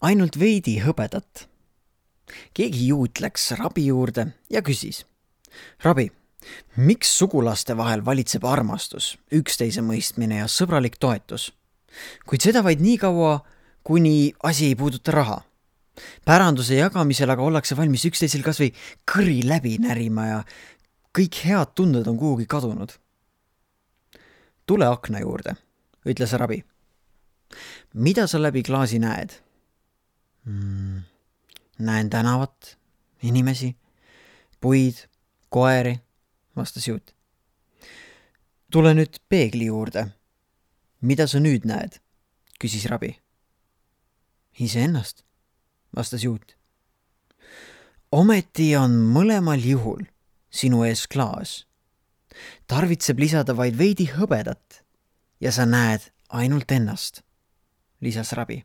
ainult veidi hõbedat. Keegi juut läks rabi juurde ja küsis. Rabi, miks sugulaste vahel valitseb armastus, üksteise mõistmine ja sõbralik toetus? Kuid seda vaid nii kaua, kuni asi ei puuduta raha. Päranduse jagamisel aga ollakse valmis üksteisel kas või kõri läbi närima ja kõik head tunded on kuhugi kadunud. Tule akna juurde, ütles Rabi. Mida sa läbi klaasi näed? Näen tänavat, inimesi, puid, koeri, vastas juut. Tule nüüd peegli juurde. Mida sa nüüd näed? Küsis Rabi. Iseennast, vastas juut. Ometi on mõlemal juhul sinu ees klaas. Tarvitseb lisada vaid veidi hõbedat ja sa näed ainult ennast, lisas Rabi.